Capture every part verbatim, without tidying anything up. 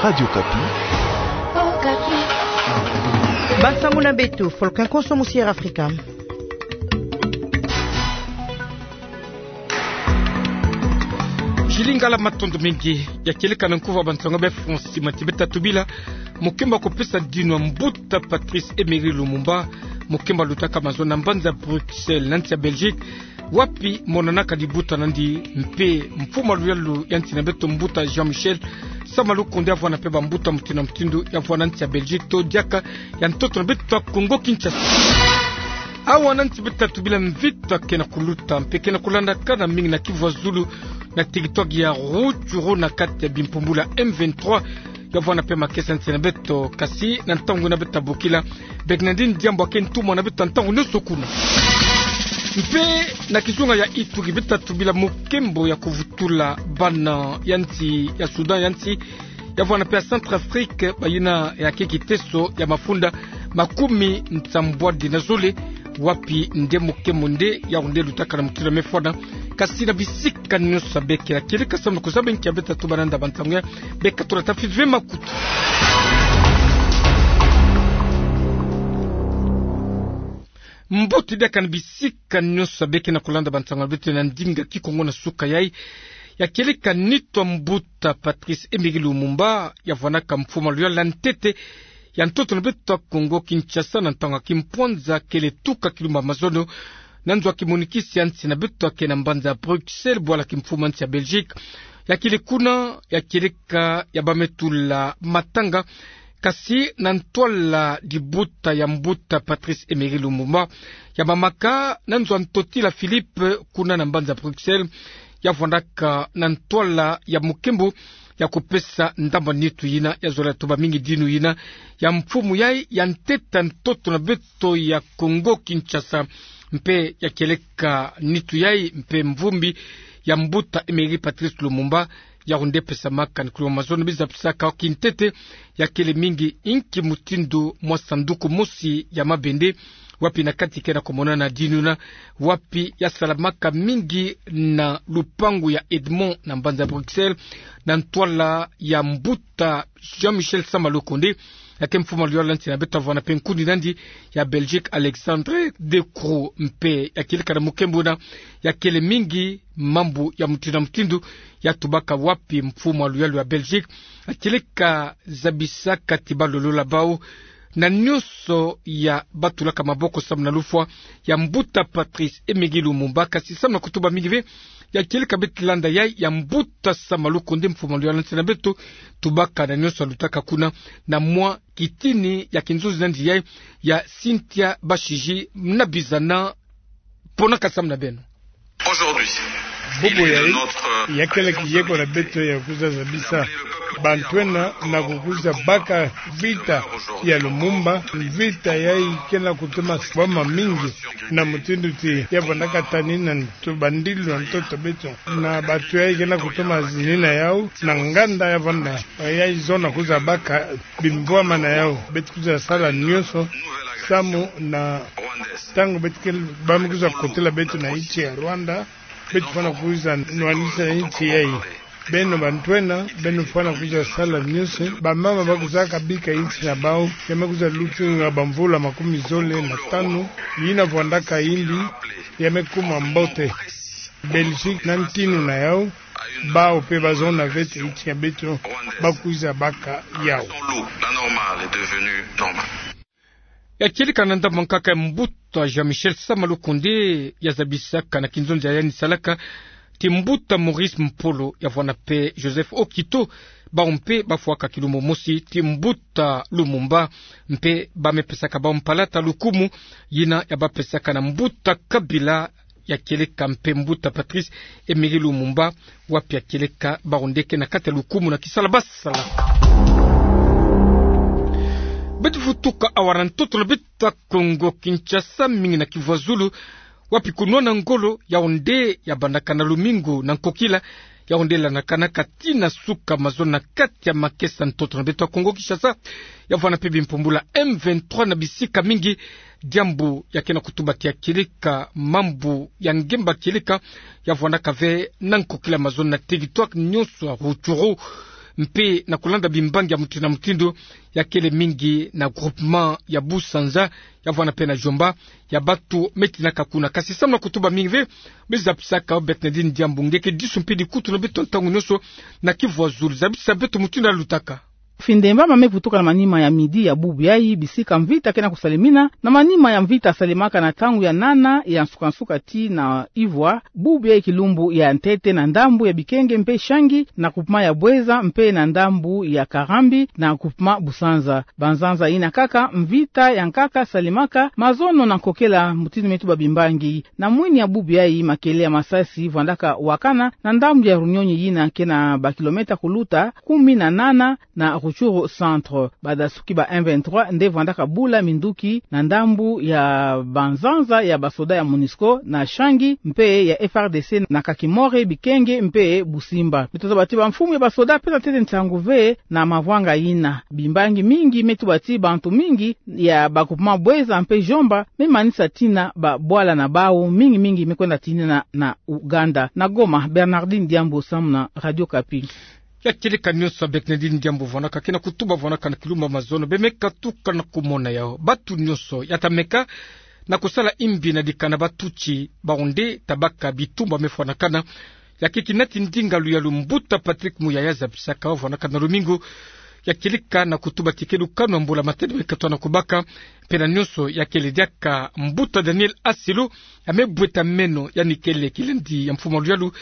Radio Okapi. Bansangu na beto, Folkin Konso, Musier Afrika. Chilingala, matondo mingi. Ya kieleka na nkuva bansangu ya be France, mati beta tubila mukembo ya kupesa dinu ya mbuta Patrice Emery Lumumba, mukembo ya lutaka mazono na mbanza Bruxelles, na nsi ya Belgique, wapi monanaka dibuta na nandi, mpe mfumu ya luyalu ya nsi na beto, mbuta Jean-Michel Sama Lukonde, ya vwanda mpe bambuta mutindu na mutindu, ya vwanda na nsi ya Belgique, to diaka ya ntoto na beto ya Congo Kinshasa. Awa na nsi beta tubila, mvita ke na kuluta mpe ke na kulandakana mingi na kivu ya zulu, na territoire ya Rutshuru, na kati ya bimpumbulu ya M vingt-trois, ya vwanda mpe makesa nsi na beto. Kasi na ntangu yina beta bokila, beka na nandi diambu ya ke ntumwa na beto ntangu nyonso kuna. Mpe na kizunga ya Ituri, beta tubila mukembo ya kuvutula bana ya nsi ya Soudan ya nsi, ya vwanda mpe ya Centrafrique, bayina ya ke kiteso ya mafunda makumi nsambwadi na zole, wapi nde mukembo nde ya onde lutaka na mutindu ya mefwana. Kasi na bisika nyonso ya beke, ya kieleka samu na kuzaba nki ya beta tuba na nda bansangu ya, beka tula tafi ve makutu. Mbote diaka na bisika nyonso ya beke na kulanda bansangu ya beto na ndinga Kikongo na suka yai. Ya kieleka nitu ya mbuta Patrice Emery Lumumba, ya vwandaka mfumu ya luyalu ya ntete ya ntoto na beto ya Congo Kinshasa na ntangu ya kimpwanza, kele tuka kilumbu ya mazono na nzo ya kimonikisi ya nsi na beto ya ke na mbanza Bruxelles, bwala kimfumu ya nsi ya Belgique. Ya kele kuna, ya kieleka ya ba me tula matanga, kasi na ntwala dibuta ya mbuta Patrice Emery Lumumba, ya mamaka na nzo ya ntotila Philippe, kuna na mbanza Bruxelles, ya vwandaka na ntwala ya mukembo ya kupesa ndambu ya nitu yina, ya zola tuba mingi dinu yina ya mfumu yai ya ntete ya ntoto na beto ya Congo Kinshasa. Mpe ya kieleka nitu yai mpe mvumbi ya mbuta Emery Patrice Lumumba, ya onde pesamaka na kilumbu ya mazono, biza pesaka kintete, ya kele mingi inki mutindu mwa sanduku mosi ya mabende, wapi na kati ke na kumonana dinu yina, wapi ya salamaka mingi na lupangu ya Edmond na mbanza Bruxelles, na ntwala ya mbuta Jean-Michel Sama Lukonde, ya ke mfumu ya luyalu ya nsi na beto, ya vwanda mpe nkundi na nandi ya Belgique, Alexandre De Croo. Mpe ya kieleka na mukembo yina, ya kele mingi mambu ya mutindu na mutindu ya tubaka, wapi mfumu ya luyalu ya Belgique ya kieleka zabisaka ti ba lolola bau na nyonso ya ba tulaka maboko samu na lufwa ya mbuta Patrice Emery Lumumba. Kasi samu na kutuba mingi ve, ya kieleka beti landa yai ya mbuta Sama Lukonde, mfumu ya luyalu ya nsi na beto, tubaka na nyonso ya lutaka kuna na mwa kitini ya kinzonzi na nandi yai ya Cynthia Bashiji. Na bizana, ponaka samu na beno. Bubu yai, ya kele kiyeko na beto ya kwiza zabisa bantu ena na kukwiza baka vita ya Lumumba. Vita yai ke na kutuma boma mingi, na mutindu ti ya vwandaka tani na ntu bandilu na ntoto beto, na bantu yai ke na kutuma zinina yau na nganda ya vwanda yai zona kwiza baka bimvwama na yau. Beti kwiza sala nyonso samu na ntangu beti ke, ba me kwiza kotila beto na insi ya Rwanda, beti fwana kwiza nwanisa insi yai. Beno bantu ena, beno fwana kwiza sala nyonso. Bamama ba kwizaka bika insi na bau, ya me kwiza lutinga bamvula makumi zole na tanu, yina vwandaka yimbi, ya me kuma mbote. Belgique na ntinu na yau, bau mpe ba zona ve ti insi ya beto ba kwiza baka yau. Ya kieleka na ndambu ya nkaka ya mbuta Jean-Michel Sama Lukonde, ya zabisaka na kinzonzi ya yandi salaka ti mbuta Maurice Mpolo, ya vwanda mpe Joseph Okito, bau mpe ba fwaka kilumbu mosi ti mbuta Lumumba, mpe ba me pesaka bau mpalata lukumu yina ya ba pesaka na mbuta Kabila, ya kieleka mpe mbuta Patrice Emery Lumumba, wapi ya kieleka bau nde ke na kati ya lukumu na kisala ba sala. Beti vutuka awa na ntoto na beto ya Congo Kinshasa, mingi na Kivu ya Zulu, wapi kunwana ngolo yau nde ya bandaka na lumingu na nkokila, yau nde landakanaka tii na suka mazono na kati ya makesa ntoto na beto ya Congo Kinshasa, ya vwanda mpe bimpumbulu ya M vingt-trois na bisika mingi, diambu ya ke na kutuba ti ya kieleka mambu ya ngemba kieleka ya vwandaka ve na nkokila mazono na territoire nyonso ya Rutshuru, mpe na kulanda bimbangi ya mutindu na mutindu, ya kele mingi na groupement ya Busanza, ya vwanda mpe na Djomba, ya batu me tinaka kuna. Kasi samu na kutuba mingi ve, me zabisaka Bernardine Diambu nge ke disu mpe dikutu na beto ntangu nyonso na kivwazulu. Zabisa beto mutindu yalutaka. Findemba ma me vutuka na manima ya midi ya bubu yayi, bisika mvita ke na kusalemina. Na manima ya mvita salemaka na ntangu ya nana ya nsuka-nsuka tii na ivwa, bubu yayi kilumbu ya ntete na ndambu ya Bikenge mpe Changi, na groupement ya Boueza, mpe na ndambu ya Karambi na groupement Busanza. Banzanza yina kaka mvita ya nkaka salemaka, mazono na nkokela, mutindu me tuba bimbangi. Na mwini ya bubu yayi, makele ya masasi vwandaka wakana na ndambu ya Runyonyi yina ke na bakilometa kuluta kumi na nana na Rutshuru centre. Badasuki ba M vingt-trois nde vwandaka bula minduki na ndambu ya banzanza ya basoda ya MONUSCO na Changi mpe ya F R D C na Kakimori, Bikenge mpe Busimba. Beto zaba ti bamfumu ya basoda pesa ntete nsangu ve na mavwanga yina. Bimbangi mingi me tuba ti bantu mingi ya ba groupement Boueza mpe Djomba me manisa tina babwala na bawu, mingi mingi me kwenda tinina na Ouganda. Na Goma, Bernardine Diambu samu na Radio Okapi. Ya kieleka nyonso ya Bernardine Diambu vwandaka, ke na kutuba vwandaka na kilumbu ya mazono, beno me katuka na kumona yawu. Batu nyonso ya ta meka na kusala imbi na dikana ba Tutsi, bawu nde ta baka bitumba me fwanakana. Ya ke kinati ndinga luyalu, mbuta Patrick Muyaya zabisaka, vwandaka na lumingu. Ya kieleka na kutuba ti ke lukanu ya mbula-matadi me katoa na kubaka, mpe na nyonso ya kele diaka. Mbuta Daniel Asilo ya me bweta meno, yandi kele kilendi ya mfumu ya luyalu,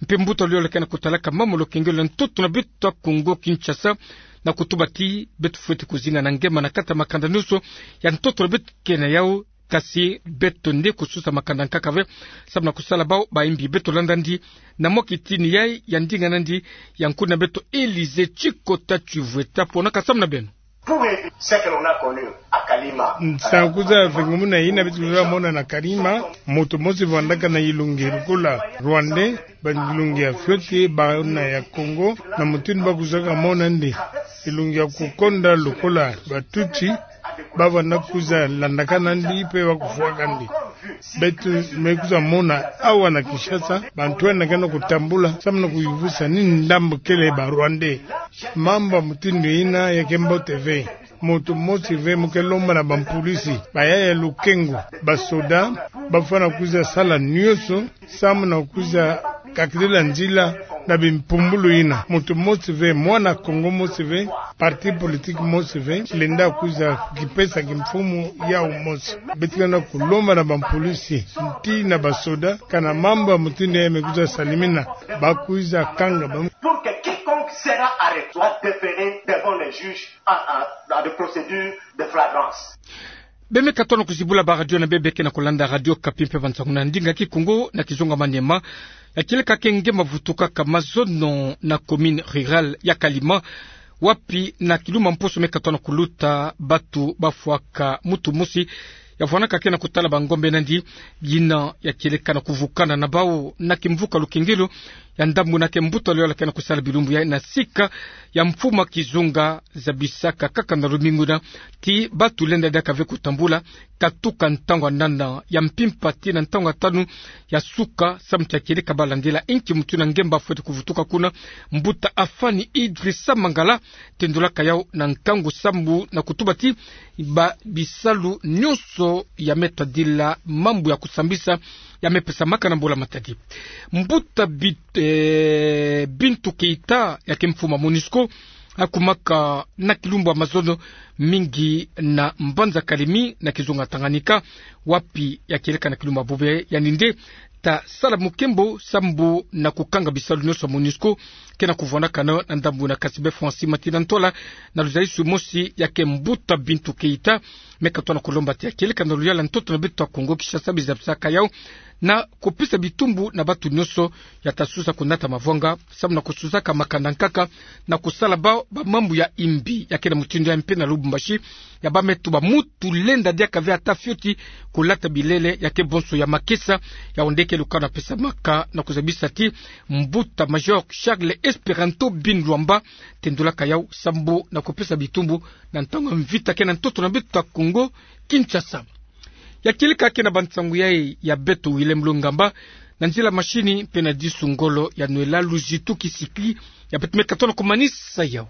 mpe mbuta luyalu ke na kutalaka mambu ya lukengelo ya ntoto na beto ya Kongo Kinshasa, na kutuba ti beto fweti kuzinga na ngema na kati ya makanda nyonso ya ntoto na beto ke na yawu. Kasi beto nde kususa makanda nkaka ve, samu na kusala bawu baimbi. Beto landa yandi na mwa kitini yayi ya ndinga nandi ya nkuna beto Elysée Tshikota Tshivweta, ponaka samu na beno. Pour ce que l'on a connu à Kalima. Nsangu za vengumuna yina beto luzolaka mona na Kalima, moto mosi vwandaka na yilongi lokola Rwandais, ba yilongi ya fioti, bana ya Kongo, na mutindu ba kuzaka mona yandi, yilongi ya kukonda lokola ba Tutsi, ba vwanda kuza landaka nandi mpe ba kufwaka nandi. Beto me kuza mona awa na Kinshasa, bantu yandi ke na kutambula, samu na kuyivusa ni ndambu kele ba Rwandais. Mambu ya mutindu yina ya ke mbote ve. Moto mosi ve mu ke lomba na bampulisi, bayaya lukengu, basoda, ba fwana kuza sala nyonso, samu na kuza kakidila nzila na bimpumbulu yina. Moto mosi ve, mwana Kongo mosi ve, parti politique mosi ve, lenda kuza kipesa kimfumu yawu mosi. Beto ke na kulomba na bampulisi, tii na basoda, kana mambu ya mutindu yina me kuza salimina, ba kuza kanga ba. Pour que quiconque sera arrêté soit déféré devant les juges à, à, à des procédures de flagrance. Beno me katoa na kuzibula ba radio na beno, beno ke na kulanda Radio Okapi mpe bansangu na ndinga Kikongo na kizunga manima. Ya kieleka ke nge ma vutukaka mazono na commune rurale ya Kalima, wapi na kilumbu ya mposo me katoa na kuluta, batu ba fwaka mutu mosi ya vwandaka ke na kutala bangombe nandi, yina ya kieleka na kuvukana na bawu na kimvuka lukengelo ya ndambu na ke mbuta luyalu ke na kusala bilumbu yayi na sika ya mfumu ya kizunga, zabisaka kaka na lumingu yina ti batu lenda diaka ve kutambula, katuka ntangu ya nana ya mpimpa tii na ntangu ya tanu ya suka, samu ti ya kieleka ba landila inki mutindu nge ba fweti kuvutuka kuna. Mbuta Afani Idrissa Mangala tendulaka yawu na nkangu sambu na kutuba ti ba bisalu nyonso ya me tadila mambu ya kusambisa ya me pesamaka na mbula-matadi. Mbuta Bit-, eh, Bintou Keita ya ke mfumu ya MONUSCO, akumaka na kilumbu ya mazono mingi na mbanza Kalemi na kizunga Tanganyika, wapi ya kieleka na kilumbu ya bubu yandi nde ta sala mukembo sambu na kukanga bisalu nyonso ya MONUSCO ke na kuvwandakana na ndambu yina. Kasi bê Francis Matina Ntola, na luzalisu mosi ya ke mbuta Bintou Keita, me katoa na kulomba ti ya kieleka na luyala ntoto na beto ya Kongo Kinshasa, bizabisaka yawu na kupesa bitumbu na batu nyonso ya ta susa kunata mavwanga, samu na kususaka makanda nkaka na kusala bawu ba mambu ya imbi. Ya ke na mutindu yayi mpe na Lubumbashi, ya ba me tuba mutu lenda diaka ve ata fioti kulata bilele ya ke bonso ya makesa. Yawu nde ke lukanu ya pesamaka na kuzabisa ti mbuta Major Charles Esperanto Bin Luamba tendulaka yawu sambu na kupesa bitumbu na ntangu ya mvita ke na ntoto na beto ya Kongo Kinshasa. Ya kieleka ke na bansangu yayi ya beto Willem Lungamba, Na nzila mashini pena disu ngolo ya nwela luzitu ki sipi ya pet met katono kumanisa yau.